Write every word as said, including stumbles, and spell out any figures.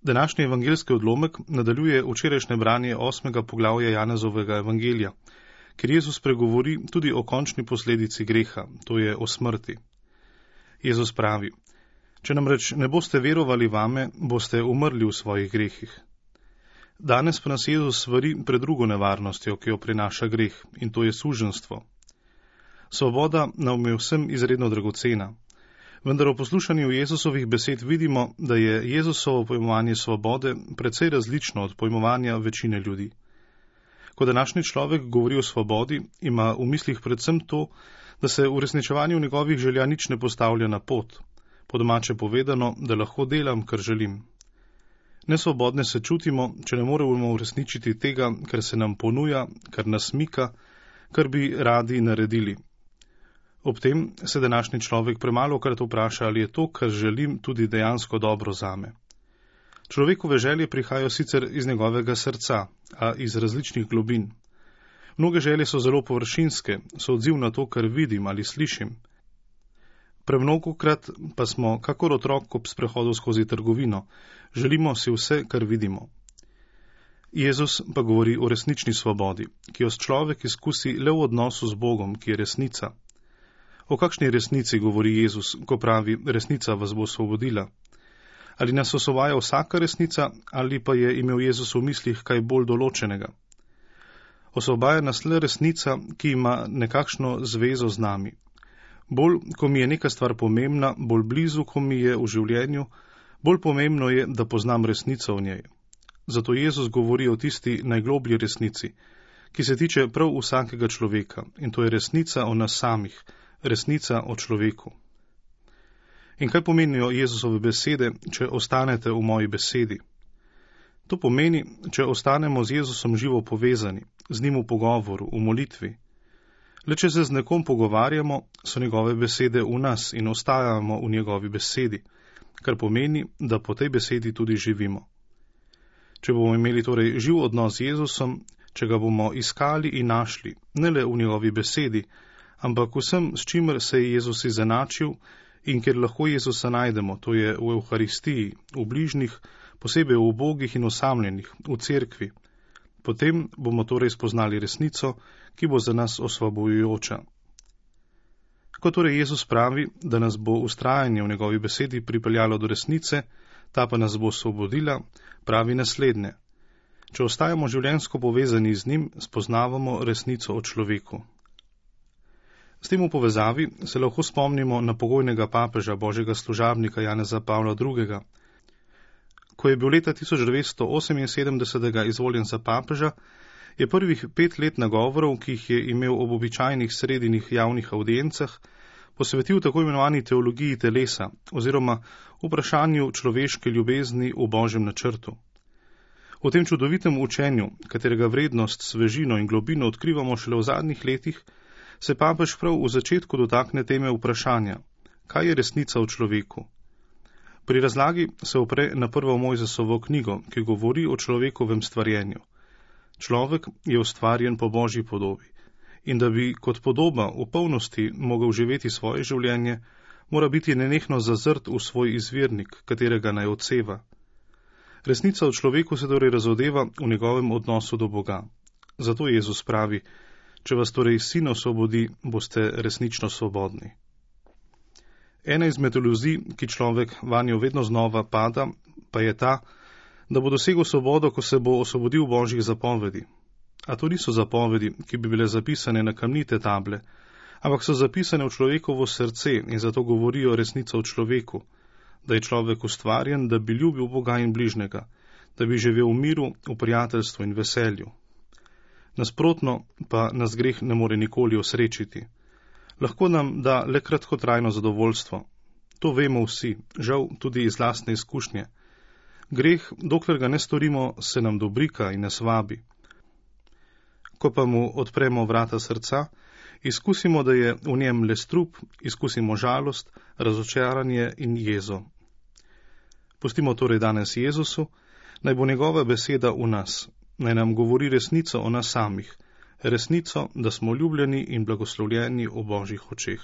Današnji evangeljski odlomek nadaljuje včerajšnje branje osmega poglavja Janezovega evangelija, kjer Jezus pregovori tudi o končni posledici greha, to je o smrti. Jezus pravi: Če namreč ne boste verovali vame, boste umrli v svojih grehih. Danes pa nas Jezus svari pred drugo nevarnostjo, ki jo prinaša greh, in to je suženjstvo. Svoboda nam je vsem izredno dragocena, vendar v poslušanju Jezusovih besed vidimo, da je Jezusovo pojmovanje svobode precej različno od pojmovanja večine ljudi. Ko današnji človek govori o svobodi, ima v mislih predvsem to, da se v uresničevanju njegovih želja nič ne postavlja na pot, po domače povedano, da lahko delam, kar želim. Nesvobodne se čutimo, če ne moremo uresničiti tega, kar se nam ponuja, kar nas mika, kar bi radi naredili. Ob tem se današnji človek premalokrat vpraša, ali je to, kar želim, tudi dejansko dobro zame. Človekove želje prihajajo sicer iz njegovega srca, a iz različnih globin. Mnoge želje so zelo površinske, so odziv na to, kar vidim ali slišim. Premnogokrat pa smo, kakor otrok ob sprehodu skozi trgovino, želimo si vse, kar vidimo. Jezus pa govori o resnični svobodi, ki jo človek izkusi le v odnosu z Bogom, ki je resnica. O kakšni resnici govori Jezus, ko pravi, resnica vas bo osvobodila? Ali nas osvobaja vsaka resnica, ali pa je imel Jezus v mislih kaj bolj določenega? Osvobaja nas le resnica, ki ima nekakšno zvezo z nami. Bolj, ko mi je neka stvar pomembna, bolj blizu, ko mi je v življenju, bolj pomembno je, da poznam resnico v njej. Zato Jezus govori o tisti najgloblji resnici, ki se tiče prav vsakega človeka, in to je resnica o nas samih, resnica o človeku. In kaj pomenijo Jezusove besede, če ostanete v moji besedi? To pomeni, če ostanemo z Jezusom živo povezani, z njim v pogovoru, v molitvi. Le če se z nekom pogovarjamo, so njegove besede v nas in ostajamo v njegovi besedi, kar pomeni, da po tej besedi tudi živimo. Če bomo imeli torej živ odnos z Jezusom, če ga bomo iskali in našli, ne le v njegovi besedi, ampak vsem, s čimer se je Jezus izenačil in kjer lahko Jezusa najdemo, to je v Evharistiji, v bližnjih, posebej v ubogih in osamljenih, v cerkvi. Potem bomo torej spoznali resnico, ki bo za nas osvobojujoča. Ko torej Jezus pravi, da nas bo ustrajanje v njegovi besedi pripeljalo do resnice, ta pa nas bo osvobodila, pravi naslednje: Če ostajamo življenjsko povezani z njim, spoznavamo resnico o človeku. S tem v povezavi se lahko spomnimo na pogojnega papeža, božjega služabnika Janeza Pavla drugega. Ko je bil leta tisoč devetsto oseminsedemdesetega izvoljen za papeža, je prvih pet let nagovorov, ki jih je imel ob običajnih sredinih javnih audiencah, posvetil tako imenovani teologiji telesa oziroma vprašanju človeške ljubezni v božjem načrtu. V tem čudovitem učenju, katerega vrednost, svežino in globino odkrivamo šele v zadnjih letih, se papež prav v začetku dotakne teme vprašanja, kaj je resnica v človeku. Pri razlagi se opre na prvo Mojzesovo knjigo, ki govori o človekovem stvarjenju. Človek je ustvarjen po božji podobi in da bi kot podoba v polnosti mogel živeti svoje življenje, mora biti nenehno zazrt v svoj izvirnik, katerega naj odseva. Resnica v človeku se torej razodeva v njegovem odnosu do Boga. Zato Jezus pravi: Če vas torej sin osvobodi, boste resnično svobodni. Ena izmed iluzij, ki človek vanjo vedno znova pada, pa je ta, da bo dosegel svobodo, ko se bo osvobodil božjih zapovedi. A to niso zapovedi, ki bi bile zapisane na kamnite table, ampak so zapisane v človekovo srce in zato govorijo resnico o človeku, da je človek ustvarjen, da bi ljubil Boga in bližnjega, da bi živel v miru, v prijateljstvu in veselju. Nasprotno pa nas greh ne more nikoli osrečiti. Lahko nam da le kratkotrajno zadovoljstvo. To vemo vsi, žal tudi iz lastne izkušnje. Greh, dokler ga ne storimo, se nam dobrika in nas vabi. Ko pa mu odpremo vrata srca, izkusimo, da je v njem le strup, izkusimo žalost, razočaranje in jezo. Pustimo torej danes Jezusu, naj bo njegova beseda v nas, naj nam govori resnico o nas samih, resnico, da smo ljubljeni in blagoslovljeni v božjih očeh.